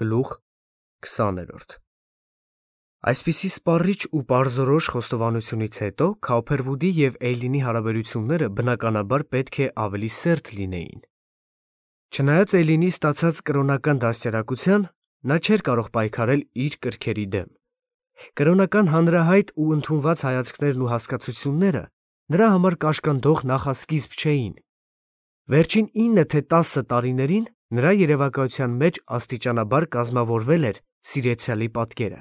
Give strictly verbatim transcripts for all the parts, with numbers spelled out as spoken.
Գլուխ քսաներորդ Այսպիսի սպառիչ ու պարզորոշ խոստովանությունից հետո Քաուփերվուդի և Էյլինի հարաբերությունները բնականաբար պետք է ավելի սերտ լինեին։ Չնայած Էյլինի ստացած կրոնական դաստիարակության, նա չէր կարող պայքարել իր կրքերի դեմ։ Կրոնական հանրահայտ ու ընդունված հայացքներն ու հասկացությունները նրա համար կաշկանդող նախասկիզբ չէին։ Վերջին ինը թե տասը տարիներին նրա երևակայության մեջ աստիճանաբար կազմավորվել էր սիրեցյալի պատկերը։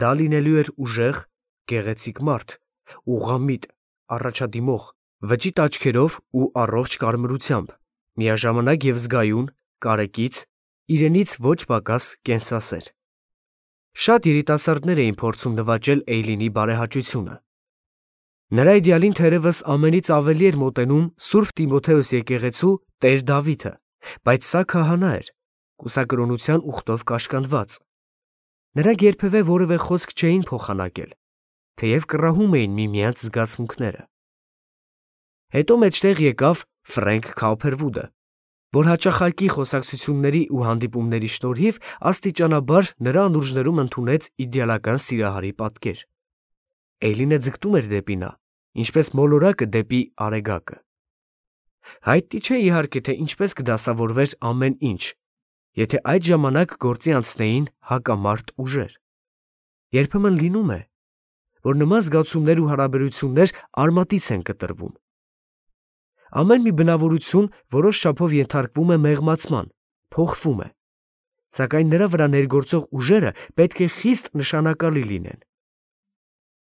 Դա լինելու էր ուժեղ, գեղեցիկ մարդ, ուղղամիտ, առաջադիմող, վճիտ աչքերով ու առողջ կարմրությամբ, միաժամանակ և զգայուն, կարեկից, իրենից ոչ պակաս կենսասեր։ Շատ երիտասարդներ էին փորձում նվաճել Էյլինի բարեհաճությունը։ Նրա իդեալին թերևս ամենից ավելի էր մոտենում Սուրբ Տիմոթեոս եկեղեցու Տեր Դավիթը, բայց սա քահանա էր, կուսակրոնության ուխտով կաշկանդված։ Նրանք երբևէ որևէ խոսք չէին փոխանակել, թեև կռահում էին միմյանց զգացմունքները։ Հետո մեջտեղ եկավ Ֆրենկ Քաուփերվուդը, որ հաճախակի խոսակցությունների ու հանդիպումների շնորհիվ աստիճանաբար նրա անուրջներում ընդունեց իդեալական սիրահարի պատկեր։ Էյլինը ձգտում էր դեպի նա, ինչպես մոլորակը դեպի արեգակը։ Հայտնի չէ իհարկե, թե ինչպես կդասավորվեր ամեն ինչ, եթե այդ ժամանակ գործի անցնեին հակամարտ ուժեր։ Երբեմն լինում է, որ նման զգացումներ ու հարաբերություններ արմատից են կտրվում։ Ամեն մի բնավորություն որոշ չափով ենթարկվում է մեղմացման, փոխվում է, սակայն նրա վրա ներգործող ուժերը պետք է խիստ նշանակալի լինեն։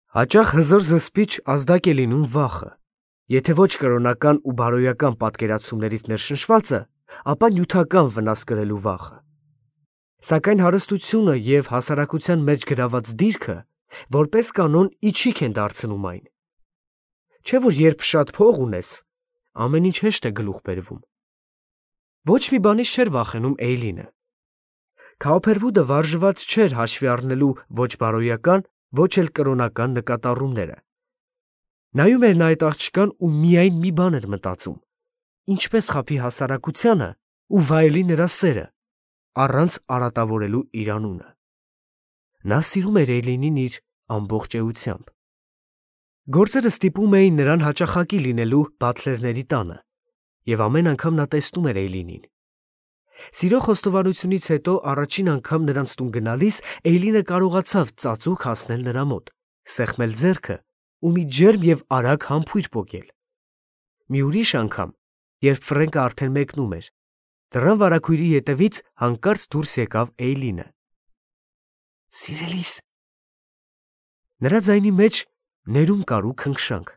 Հաճախ հզոր զսպիչ ազդակ է լինում վախը, եթե ոչ կրոնական ու բարոյական պատկերացումներից ներշնչվածը, ապա նյութական վնաս կրելու վախը։ Սակայն հարստությունը և հասարակության մեջ գրաված դիրքը որպես կանոն իչիք են դարձնում այն։ Չէ՞ որ երբ շատ փող ունես, ամեն ինչ հեշտ է գլուխ բերվում։ Ոչ մի բանից չէր վախենում Էյլինը։ Քաուփերվուդը վարժված չէր հաշվի առնելու ոչ բարոյական, ոչ էլ կրոնական նկատառումները։ Նայում էր նա այդ աղջկան ու միայն մի բան էր մտածում. ինչպես խաբի հասարակությանը ու վայելի նրա սերը, առանց արատավորելու իր անունը։ Նա սիրում էր Էյլինին իր ամբողջ էությամբ։ Գործերը ստիպում էին նրան հաճախակի լինելու բաթլերների տանը, և ամեն անգամ նա տեսնում էր Էյլինին։ Սիրո խոստովանությունից հետո առաջին անգամ նրանց տուն գնալիս Էյլինը կարողացավ ծածուկ հասնել նրա մոտ, սեղմել ձեռքը ու մի ջերմ և արագ համբույր պոկել։ Մի ուրիշ անգամ, երբ Ֆրենկը արդեն մեկնում էր, դռան վարագույրի ետևից հանկարծ դուրս եկավ Էյլինը։ Սիրելիս… Նրա ձայնի մեջ ներում կար ու քնքշանք։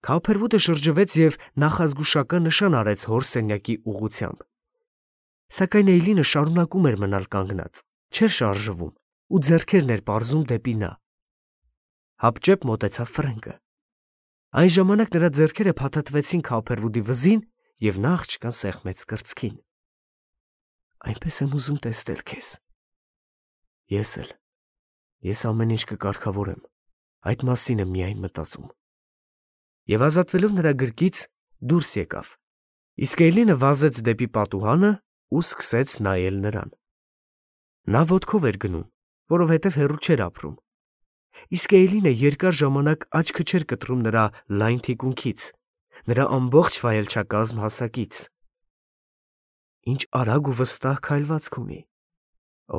Քաուփերվուդը շրջվեց և նախազգուշական նշան արեց հոր սենյակի ուղղությամբ։ Սակայն Էյլինը շարունակում էր մնալ կանգնած, չէր շարժվում ու ձեռքերն էր պարզում դեպի նա։ Հապճեպ մոտեցավ Ֆրենկը։ Այն ժամանակ նրա ձեռքերը փաթաթվեցին Քաուփերվուդի վզին, և նա աղջկան սեղմեց կրծքին։ Այնպես եմ ուզում տեսնել քեզ։ Ես էլ։ Ես ամեն ինչ կկարգավորեմ, այդ մասին եմ միայն մտածում։ Եվ ազատվելով նրա գրկից դուրս եկավ, իսկ Էյլինը վազեց դեպի պատուհանը ու սկսեց նայել նրան։ Նա ոտքով էր գնում, որովհետև հեռու չէր ապրում, իսկ Էյլինը երկար ժամանակ աչքը չէր կտրում նրա լայն թիկունքից, նրա ամբողջ վայելչակազմ հասակից։ Ինչ արագ ու վստահ քայլվածք ունի։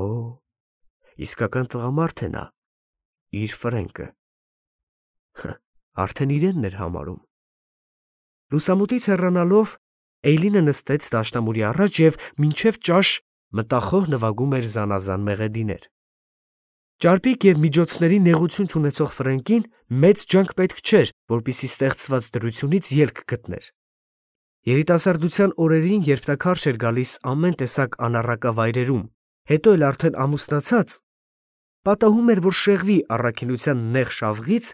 Օ, իսկական տղամարդ է նա, իր Ֆրենկը։ Արդեն իրենն էր համարում։ Լուսամուտից հեռանալով Էյլինը նստեց դաշնամուրի առաջ և մինչև ճաշ մտախոհ նվագում էր զանազան մեղեդիներ։ Ճարպիկ և միջոցների նեղություն չունեցող Ֆրենկին մեծ ջանք պետք չէր, որպեսզի ստեղծված դրությունից ելք գտներ։ Երիտասարդության օրերին, երբ նա քարշ էր գալիս ամեն տեսակ անառակավայրերում, հետո էլ արդեն ամուսնացած, պատահում էր, որ շեղվի առաքինության նեղ շավղից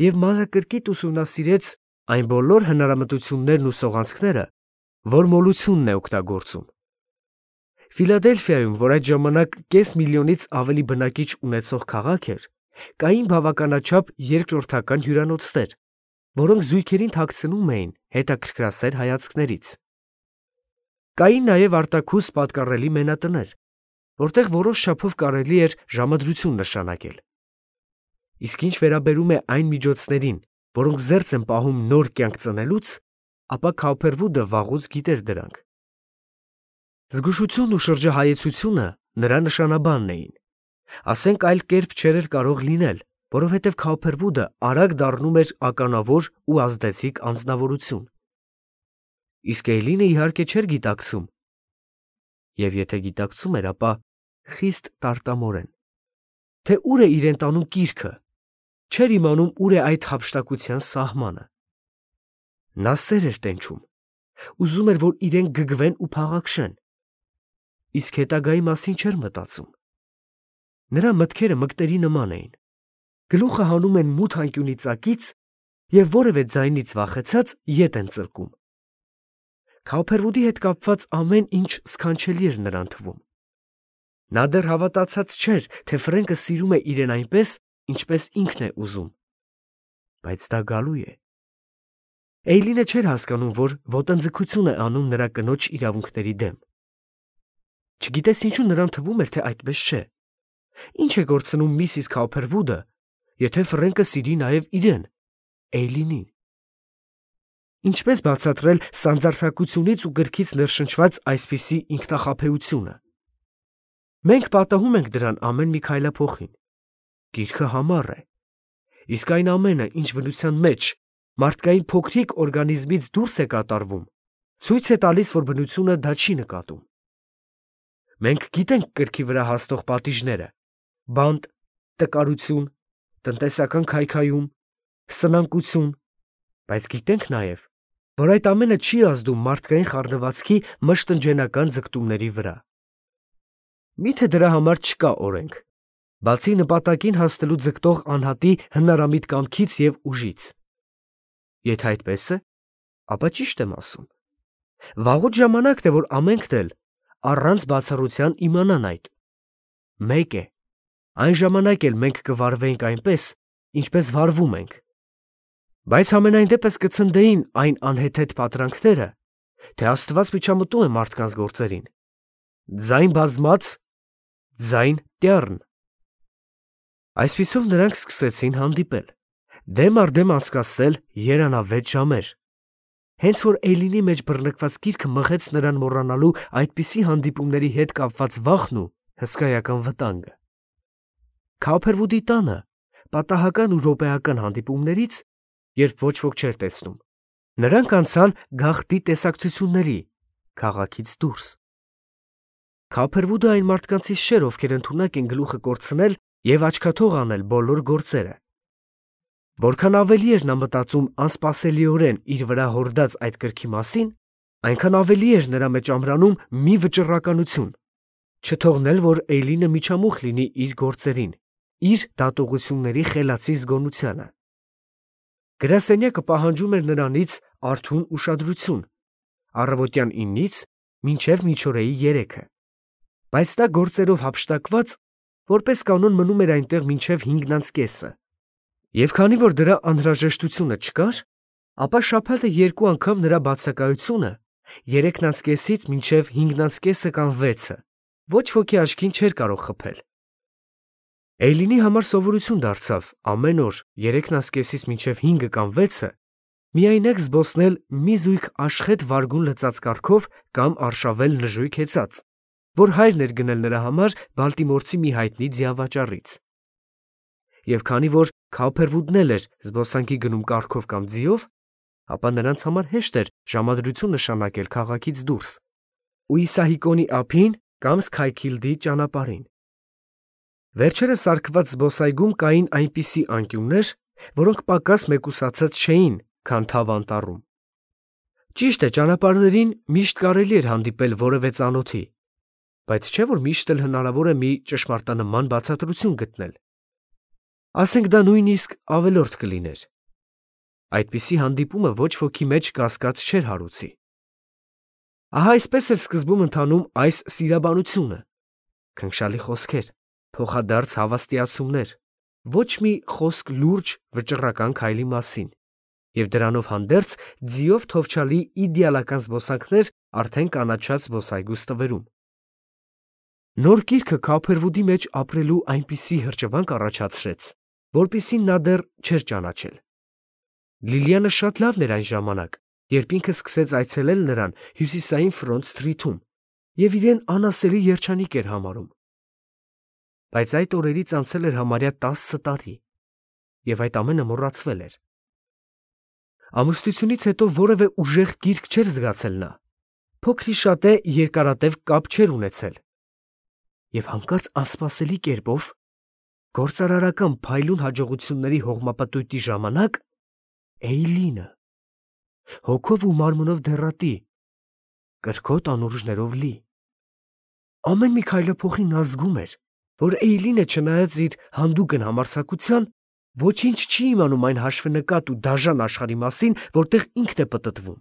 և մանրակրկիտ ուսումնասիրեց այն բոլոր հնարամտություններն ու սողանցքները, որ մոլությունն է օգտագործում։ Ֆիլադելֆիայում, որ այդ ժամանակ կես միլիոնից ավելի բնակիչ ունեցող քաղաք էր, կային բավականաչափ երկրորդական հյուրանոցներ, որոնք զույգերին թաքցնում էին հետաքրքրասեր հայացքներից։ Կային նաև արտաքուստ պատկառելի մենատներ, որտեղ որոշ չափով կարելի էր ժամադրություն նշանակել։ Իսկ ինչ վերաբերում է այն միջոցներին, որոնք զերծ են պահում նոր կյանք ծնելուց, ապա Քաուփերվուդը վաղուց գիտեր դրանք։ Զգուշությունն ու շրջահայեցությունը նրա նշանաբանն էին։ Ասենք այլ կերպ չէր կարող լինել, որովհետև Քաուփերվուդը արագ դառնում էր ականավոր ու ազդեցիկ անձնավորություն։ Իսկ Էյլինը իհարկե չէր գիտակցում։ Եվ եթե գիտակցում էր, ապա խիստ տարտամորեն, թե ուր է իրեն տանում կիրքը, չէր իմանում ուր է այդ հափշտակության սահմանը։ Նա սեր էր տենչում, ուզում էր, որ իրեն գգվեն ու փաղաքշեն, իսկ հետագայի մասին չէր մտածում։ Նրա մտքերը մկների նման էին, գլուխը հանում են մութ անկյունի ծակից և որևէ ձայնից վախեցած ետ են ծլկում։ Քաուփերվուդի հետ կապված ամեն ինչ սքանչելի էր նրան թվում։ Նա դեռ հավատացած չէր, թե Ֆրենկը սիրում է իրեն այնպես, ինչպես ինքն է ուզում։ Բայց դա գալու է։ Էյլինը չէր հասկանում, որ ոտնձգություն է անում նրա կնոջ իրավունքների դեմ։ Չգիտես ինչու նրան թվում էր, թե այդպես չէ։ Ինչ է գործնում միսիս Քաուփերվուդը, եթե Ֆրենկը սիրի նաև իրեն, Էյլինին։ Ինչպես բացատրել սանձարձակությունից ու գրքից ներշնչված այսպիսի ինքնախաբեությունը։ Մենք պատահում ենք դրան ամեն մի քայլափոխին։ Գիրքը համառ է, իսկ այն ամենը, ինչ բնության մեջ մարդկային փոքրիկ օրգանիզմից դուրս է կատարվում, ցույց է տալիս, որ բնությունը դա չի նկատում։ Մենք գիտենք կրքի վրա հասնող պատիժները՝ բանտ, տկարություն, տնտեսական քայքայում, սնանկություն, բայց գիտենք նաև, որ այդ ամենը չի ազդում մարդկային խառնվածքի մշտնջենական ձգտումների վրա։ Միթե դրա համար չկա օրենք, բացի նպատակին հասնելու ձգտող անհատի հնարամիտ կամքից և ուժից։ Եթե այդպես է, ապա ճիշտ եմ ասում։ Վաղուց ժամանակն է, որ ամենքն էլ առանց բացառության իմանան այդ։ Մեկ է, այն ժամանակ էլ մենք կվարվեինք այնպես, ինչպես վարվում ենք։ Բայց համենայն դեպս կցնդեին այն անհեթեթ պատրանքները, թե Աստված միջամտում է մարդկանց գործերին։ Ձայն բազմաց, ձայն տյառն։ Այսպիսով նրանք սկսեցին հանդիպել, դեմ առ դեմ անցկացնել երանավետ ժամեր։ Հենց որ Էյլինի մեջ բռնկված գիրքը մղեց նրան մոռանալու այդպիսի հանդիպումների հետ կապված վախն ու հսկայական վտանգը։ Քաուփերվուդի տանը պատահական ու րոպեական հանդիպումներից, երբ ոչ ոք չէր տեսնում, նրանք անցան գաղտնի տեսակցությունների, քաղաքից դուրս։ Քաուփերվուդը այն մարդկանցից չէր, ովքեր ընդունակ են գլուխը կորցնել և աչքաթող անել բոլոր գործերը։ Որքան ավելի էր նա մտածում անսպասելիորեն իր վրա հորդած այդ կրքի մասին, այնքան ավելի էր նրա մեջ ամրանում մի վճռականություն, չթողնել, որ Էյլինը միջամուխ լինի իր գործերին, իր դատողությունների խելացի զգոնությանը։ Գրասենյակը պահանջում էր նրանից արթուն ուշադրություն, առավոտյան իննից մինչև միջօրեի երեքը, բայց նա գործերով հափշտակված, որպես կանոն մնում էր այնտեղ մինչև հինգն անց կեսը։ Եվ քանի որ դրա անհրաժեշտությունը չկար, ապա շաբաթը երկու անգամ նրա բացակայությունը երեքն անց կեսից մինչև հինգն անց կեսը կամ վեցը ոչ ոքի աչքին չէր կարող խփել։ Էյլինի համար սովորություն դարձավ ամեն օր երեքն անց կեսից մինչև հինգը կամ վեցը միայնակ զբոսնել մի զույգ աշխետ վարգուն լծած կառքով կամ արշավել նժույգ հեծած, որ հայրն էր գնել նրա համար Բալտիմորցի մի հայտնի ձիավաճառից։ Եվ քանի որ Քաուփերվուդն էլ էր զբոսանքի գնում կառքով կամ ձիով, ապա նրանց համար հեշտ էր ժամադրություն նշանակել քաղաքից դուրս ու Իսահիկոնի ափին կամ Սքայքիլդի ճանապարհին։ Վերջերս սարքված զբոսայգում կային այնպիսի անկյուններ, որոնք պակաս մեկուսացած չէին, քան թավ անտառում։ Ճիշտ է, ճանապարհներին միշտ կարելի էր հանդիպել որևէ ծանոթի, բայց չէ՞ որ միշտ էլ հնարավոր է մի ճշմարտանման բացատրություն գտնել։ Ասենք դա նույնիսկ ավելորդ կլիներ։ Այդպիսի հանդիպումը ոչ ոքի մեջ կասկած չէր հարուցի։ Ահա այսպես էր սկզբում ընթանում այս սիրաբանությունը։ Քնքշալի խոսքեր, փոխադարձ հավաստիացումներ, ոչ մի խոսք լուրջ վճռական քայլի մասին, և դրանով հանդերձ ձիով թովչալի իդեալական զբոսանքներ արդեն կանաչած զբոսայգու ստվերում։ Նոր գիրքը Քոփերվուդի մեջ ապրելու այնպիսի հրճվանք առաջացրեց, որպիսին նա դեռ չէր ճանաչել։ Լիլիանը շատ լավն էր այն ժամանակ, երբ ինքը սկսեց այցելել նրան հյուսիսային Ֆրոնտ Սթրիթում և իրեն անասելի երջանիկ էր համարում։ Բայց այդ օրերից անցել էր համարյա տասը տարի, և այդ ամենը մոռացվել էր։ Ամուսնությունից հետո որևէ ուժեղ գիրք չէր զգացել նա, փոքրիշատե երկարատև կապ չէր ունեցել։ Եվ հանկարծ անսպասելի կերպով, գործարարական փայլուն հաջողությունների հողմապտույտի ժամանակ, Էյլինը, հոգով ու մարմնով դեռատի, կրքոտ անուրջներով լի։ Ամեն մի քայլափոխի նա զգում էր, որ Էյլինը, չնայած իր հանդուգն համարձակության, ոչինչ չի իմանում այն հաշվենկատ ու դաժան աշխարհի մասին, որտեղ ինքն է պտտվում։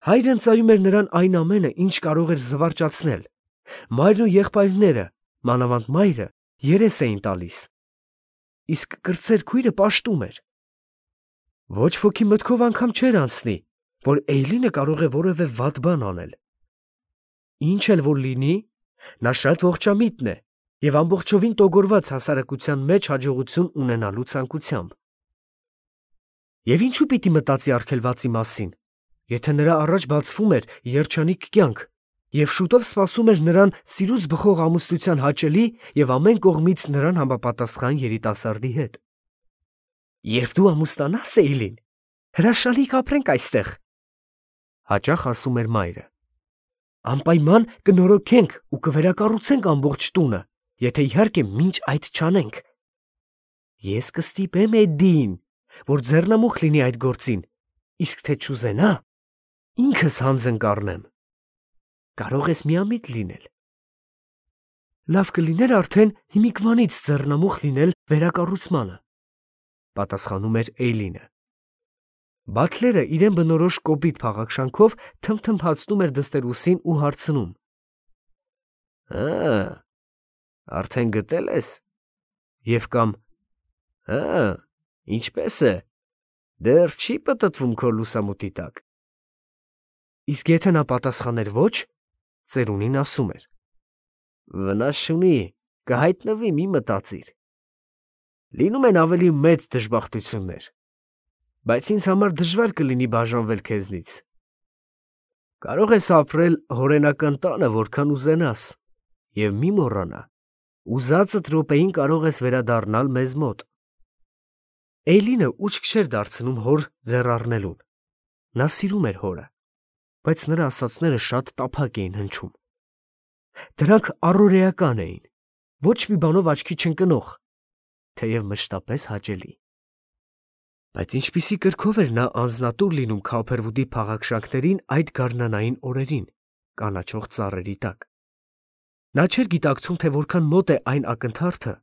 Հայրը ընծայում էր նրան այն ամենը, ինչ կարող էր զվարճացնել։ Մայրն ու եղբայրները, մանավանդ մայրը, երես էին տալիս, իսկ կրտսեր քույրը պաշտում էր։ Ոչ ոքի մտքով անգամ չէր անցնի, որ Էյլինը կարող է որևէ վատ բան անել։ Ինչ էլ որ լինի, նա շատ ողջամիտ է և ամբողջովին տոգորված հասարակության մեջ հաջողություն ունենալու ցանկությամբ։ Եվ ինչու պիտի մտածի արգելվածի մասին, եթե նրա առաջ բացվում էր երջանիկ կյանք, և շուտով սպասում էր նրան սիրուց բխող ամուսնության հաճելի և ամեն կողմից նրան համապատասխան երիտասարդի հետ։ Երբ դու ամուսնանաս, Էյլին, հրաշալի կապրենք այստեղ, հաճախ ասում էր մայրը։ Անպայման կնորոգենք ու կվերակառուցենք ամբողջ տունը, եթե իհարկե մինչ այդ չանենք։ Ես կստիպեմ Էդդիին, որ ձեռնամուխ լինի այդ գործին, իսկ թե չուզենա, ինքս հանձն կառնեմ։ Կարող ես միամիտ լինել։ Լավ կլիներ արդեն հիմիկվանից ձեռնամուխ լինել վերակառուցմանը, պատասխանում էր Էյլինը։ Բաթլերը իրեն բնորոշ կոպիտ փաղաքշանքով թմթմփացնում էր դստերուսին ու հարցնում. Ա, արդեն գտել ես։ Եվ կամ Ա, ինչպես է։ Դեռ չի պտտվում քո լուսամուտի տակ։ Իսկ եթե նա պատասխաներ ոչ, ծերունին ասում էր. Վնաս չունի, կհայտնվի, մի մտածիր։ Լինում են ավելի մեծ դժբախտություններ, բայց ինձ համար դժվար կլինի բաժանվել քեզնից։ Կարող ես ապրել հորենական տանը, որքան ուզենաս, և մի մոռանա, ուզածդ րոպեին կարող ես վերադառնալ մեզ մոտ։ Էյլինը ուշք չէր դարձնում հոր ձեռ առնելուն։ Նա սիրում էր հորը, բայց նրա ասածները շատ տափակ էին հնչում։ Դրանք առօրեական էին, ոչ մի բանով աչքի չընկնող, թեև մշտապես հաճելի։ Բայց ինչպիսի կրքով էր նա անձնատուր լինում Քոփերվուդի փաղաքշանքներին այդ գարնանային օրերին, կանաչող ծառերի տակ։ Նա չէր գիտակցում, թե որքան մոտ է այն ակնթարթը,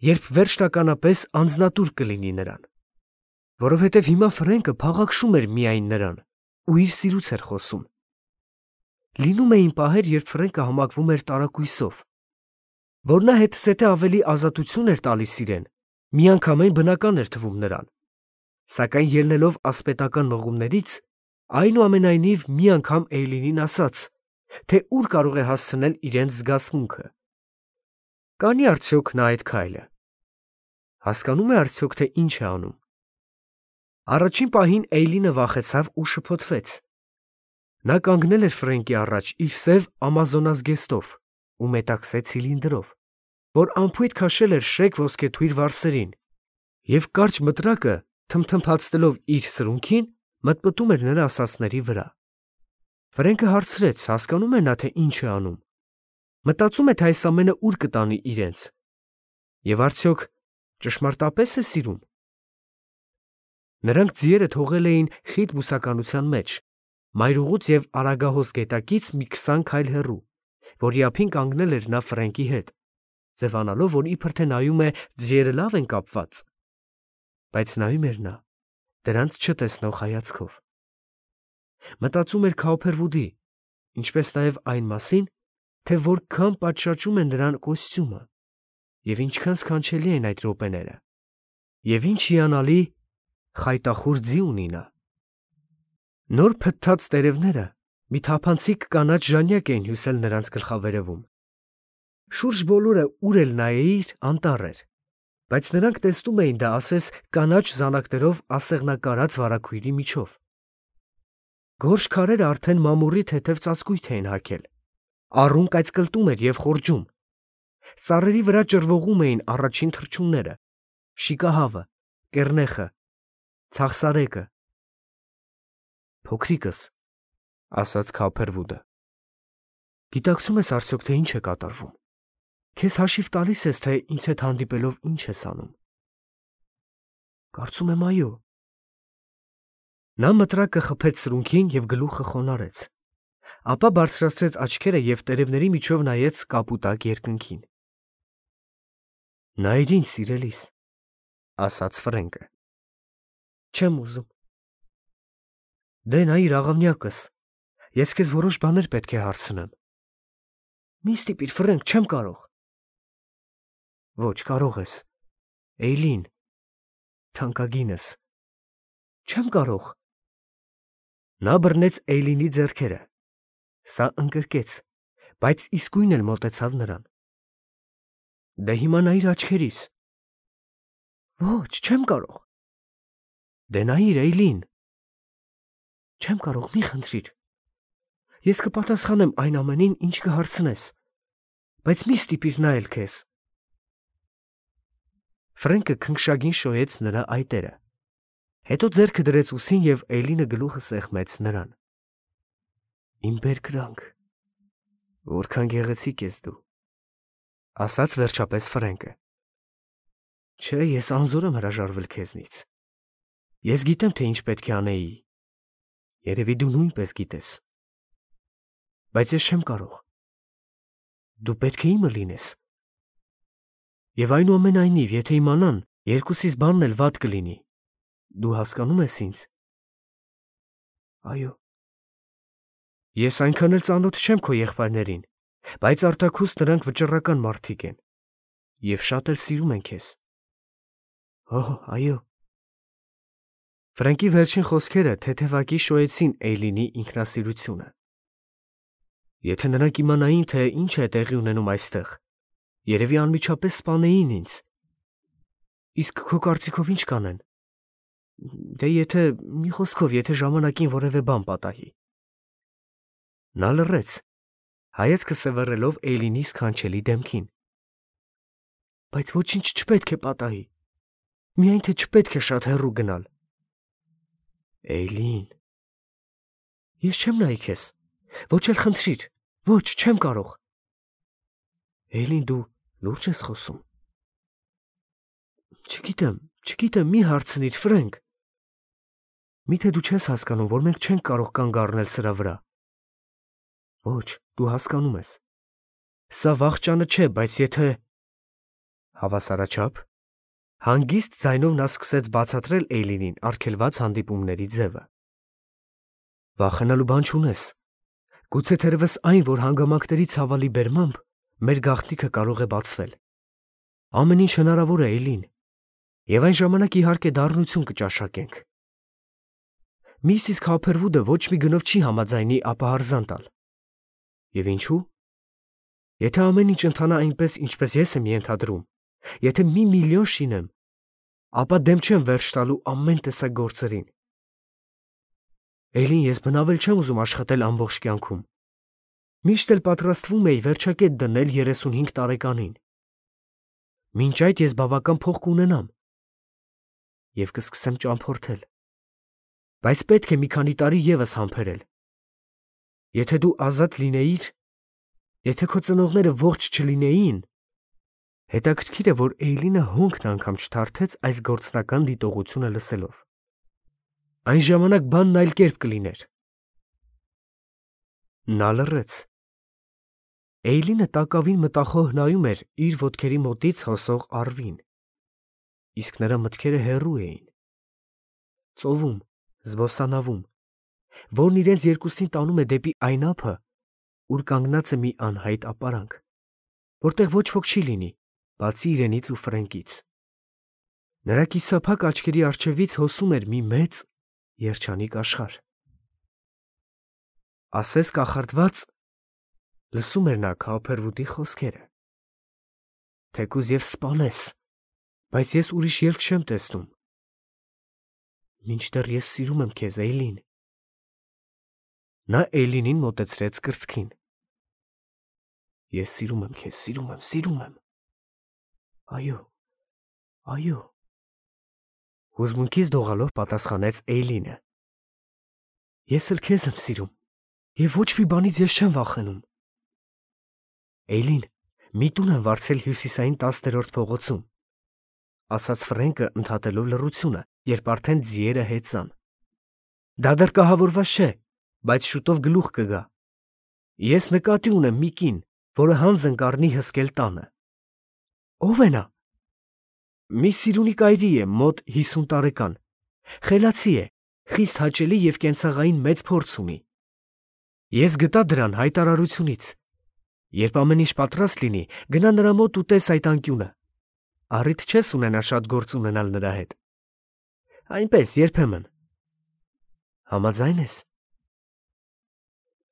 երբ վերջնականապես անձնատուր կլինի նրան, որովհետև հիմա Ֆրենկը փաղաքշում էր միայն նրան ու իր սիրուց էր խոսում։ Լինում էին պահեր, երբ Ֆրենկը համակվում էր տարակույսով, որ նա հետզհետե ավելի ազատություն էր տալիս իրեն, միանգամայն բնական էր թվում նրան, սակայն ելնելով ասպետական մղումներից, այնուամենայնիվ մի անգամ Էյլինին ասաց, թե ուր կարող է հասցնել իրենց զգացմունքը։ Կանի արդյոք նա այդ քայլը։ Հասկանում է արդյոք, թե ինչ է անում։ Առաջին պահին Էյլինը վախեցավ ու շփոթվեց։ Նա կանգնել էր Ֆրենկի առաջ իր սև ամազոնազգեստով ու մետաքսե ցիլինդրով, որ անփույթ քաշել էր շեկ ոսկեթույր վարսերին, և կարճ մտրակը, թմթմփացնելով իր սրունքին, մտմտում էր նրա ասածների վրա։ Ֆրենկը հարցրեց, հասկանում է նա, թե ինչ է անում։ Մտածում է, թե այս ամենը ուր կտանի իրենց։ Եվ արդյոք ճշմարտապես է սիրում։ Նրանք ձիերը թողել էին խիտ բուսականության մեջ, մայրուղուց և Արագահոս գետակից մի քսան քայլ հեռու, որի ափին կանգնել էր նա Ֆրենկի հետ, ձևանալով, որ իբր թե նայում է ձիերը լավ են կապված, բայց նայում էր նա դրանց չտեսնող հայացքով։ Մտածում էր Քոփերվուդի, ինչպես նաև այն մասին, թե որքան պատշաճում է նրան կոստյումը, և ինչքան սքանչելի են այդ րոպեները, և ինչ հիանալի խայտախուր ձի ունի նա։ Նոր փթթած տերևները մի թափանցիկ կանաչ ժանյակ էին հյուսել նրանց գլխավերևում, Շուրջ բոլորը ուր էլ նայեիր անտառ էր, բայց նրանք տեսնում էին դա ասես կանաչ զանակներով ասեղնակարած վարագույրի միջով։ Գորշ քարերը արդեն մամուռի թեթև ծածկույթ էին հագել, առուն կայծկլտում էր և խորջում։ Ծառերի վրա ճռվողում էին առաջին թռչունները, շիկահավը, կեռնեխը, ցաղսարեկը։ Փոքրիկս, ասաց Քոփերվուդը, գիտակցում ես արդյոք, թե ինչ է կատարվում։ Քեզ հաշիվ տալիս ես, թե ինձ հետ հանդիպելով ինչ ես անում։ Կարծում եմ այո։ Նա մտրակը խփեց սրունքին և գլուխը խոնարհեց, ապա բարձրացրեց աչքերը և տերևների միջով նայեց կապուտակ երկնքին։ Նայիր ինձ, սիրելիս, ասաց Ֆրենկը։ Չեմ ուզում։ Դե նայիր աղավնյակս, ես քեզ որոշ բաներ պետք է հարցնեմ։ Մի ստիպիր, Ֆրենկ, չեմ կարող։ Ոչ, կարող ես։ Էյլին, թանկագինս։ Չեմ կարող։ Նա բռնեց Էյլինի ձեռքերը։ Սա ընկրկեց, բայց իսկույն էլ մոտեցավ նրան։ Դե հիմա նայիր աչքերիս։ Ոչ, չեմ կարող։ Դե նայիր, Էյլին։ Չեմ կարող, մի խնդրիր։ Ես կպատասխանեմ այն ամենին, ինչ կհարցնես, բայց մի ստիպիր նայել քեզ։ Ֆրենկը քնքշագին շոյեց նրա այտերը, հետո ձեռքը դրեց ուսին և Էյլինը գլուխը սեղմեց նրան։ Իմ բերկրանք, որքան գեղեցիկ ես դու, ասաց վերջապես Ֆրենկը։ Չէ, ես անզոր եմ հրաժարվել քեզնից։ Ես գիտեմ, թե ինչ պետք է անեի։ Երևի դու նույնպես գիտես։ Բայց ես չեմ կարող։ Դու պետք է իմը լինես։ Եվ այնուամենայնիվ, եթե իմանան, երկուսիս բանն էլ վատ կլինի։ Դու հասկանում ես ինձ։ Այո։ Ես այնքան էլ ծանոթ չեմ քո եղբայրներին, բայց արտաքուստ նրանք վճռական մարդիկ են և շատ էլ սիրում են քեզ։ Օհ, այո։ Ֆրենկի վերջին խոսքերը թեթևակի շոյեցին Էյլինի ինքնասիրությունը։ Եթե նրանք իմանային, թե ինչ է տեղի ունենում այստեղ, երևի անմիջապես սպանեին ինձ։ Իսկ քո կարծիքով ինչ կանեն։ Դե եթե, մի խոսքով, եթե ժամանակին որևէ բան պատահի։ Նա լռեց, հայացքը սևեռելով Էյլինի սքանչելի դեմքին։ Բայց ոչինչ չպետք է պատահի։ Միայն թե չպետք է շատ հեռու գնալ։ Էյլին։ Ես չեմ նայի քեզ։ Ոչ էլ խնդրիր։ Ոչ, չեմ կարող։ Էյլին, դու լուրջ ես խոսում։ Չգիտեմ, չգիտեմ, մի հարցնիր, Ֆրենկ։ Միթե դու չես հասկանում, որ մենք չենք կարող կանգ առնել սրա վրա։ Ոչ, դու հասկանում ես։ Սա վախճանը չէ, բայց եթե… Հավասարաչափ։ Հանգիստ ձայնով նա սկսեց բացատրել Էյլինին արգելված հանդիպումների ձևը։ Վախենալու բան չունես։ Գուցե թերևս այն, որ հանգամանքների ցավալի բերմամբ մեր գաղտնիքը կարող է բացվել։ Ամեն ինչ հնարավոր է, Էյլին, և այն ժամանակ իհարկե դառնություն կճաշակենք։ Միսիս Քոփերվուդը ոչ մի գնով չի համաձայնի ապահարզան տալ։ Եվ ինչու՞։ Եթե ամեն ինչ ընթանա այնպես, ինչպես ես եմ ենթադրում, եթե մի միլիոն շինեմ, ապա դեմ չեմ վերջ տալու ամեն տեսակ գործերին։ Էյլին, ես բնավել չեմ ուզում աշխատել ամբողջ կյանքում։ Միշտ էլ պատրաստվում էի վերջակետ դնել երեսունհինգ տարեկանին։ Մինչ այդ ես բավական փող կունենամ և կսկսեմ ճամփորդել։ Բայց պետք է մի քանի տարի ևս համբերել։ Եթե դու ազատ լինեիր, եթե քո ծնողները ողջ չլինեին, հետաքրքիր է, որ Էյլինը հոնքն անգամ չթարթեց այս գործնական դիտողությունը լսելով։ Այն ժամանակ բանն այլ կերպ կլիներ։ Նա լռեց։ Էյլինը տակավին մտախոհ նայում էր իր ոտքերի մոտից հոսող առվին, իսկ նրա մտքերը հեռու էին։ Ծովում, զբոսանավում, որն իրենց երկուսին տանում է դեպի այն ափը, ուր կանգնած է մի անհայտ ապարանք, որտեղ ոչ ոք չի լինի, բացի իրենից ու Ֆրենկից։ Նրա կիսափակ աչքերի առջևից հոսում էր մի մեծ, երջանիկ աշխարհ։ Ասես կախարդված լսում էր նա Քոփերվուդի խոսքերը։ թեկուզ եւ սպանես, բայց ես ուրիշ ելք չեմ տեսնում։ Մինչդեռ ես սիրում եմ քեզ, Էյլին։ Նա Էյլինին մոտեցրեց կրծքին։ Ես սիրում եմ քեզ, սիրում եմ, սիրում եմ։ Այո, այո։ Հուզմունքից դողալով պատասխանեց Էյլինը։ Ես էլ քեզ եմ սիրում, եւ ոչ մի բանից ես չեմ վախենում։ Էյլին, մի տուն եմ վարձել հյուսիսային տասներորդ փողոցում, ասաց Ֆրենկը ընդհատելով լռությունը, երբ արդեն ձիերը հեծան։ Դա դեռ կահավորված չէ, բայց շուտով գլուխ կգա։ Ես նկատի ունեմ մի կին, որը հանձն կառնի հսկել տանը։ Ո՞վ է նա։ Մի սիրունի կայրի է, մոտ հիսուն տարեկան։ Խելացի է, խիստ հաճելի եւ կենցաղային մեծ փորձ ունի։ Ես գտա դրան հայտարարությունից։ Երբ ամեն ինչ պատրաստ լինի, գնա նրա մոտ ու տես այդ անկյունը։ Առիթ չես ունենա շատ գործ ունենալ նրա հետ։ Այնպես երբեմն։ Համաձայն ես։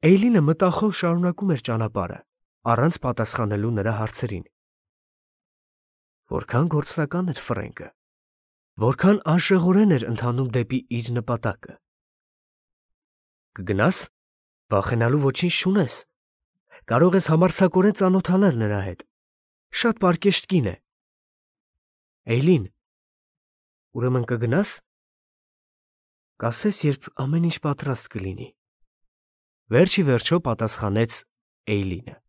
Էյլինը մտախոհ շարունակում էր ճանապարհը, առանց պատասխանելու նրա հարցերին։ Որքան գործնական էր Ֆրենկը, որքան անշեղորեն էր ընթանում դեպի իր նպատակը։ Կգնաս, վախենալու ոչինչ չունես։ Կարող ես համարձակորեն ծանոթանալ նրա հետ։ Շատ պարկեշտ կին է։ Էյլին, ուրեմն կգնաս։ Կասես, երբ ամեն ինչ պատրաստ կլինի։ Վերջի վերջո պատասխանեց Էյլինը։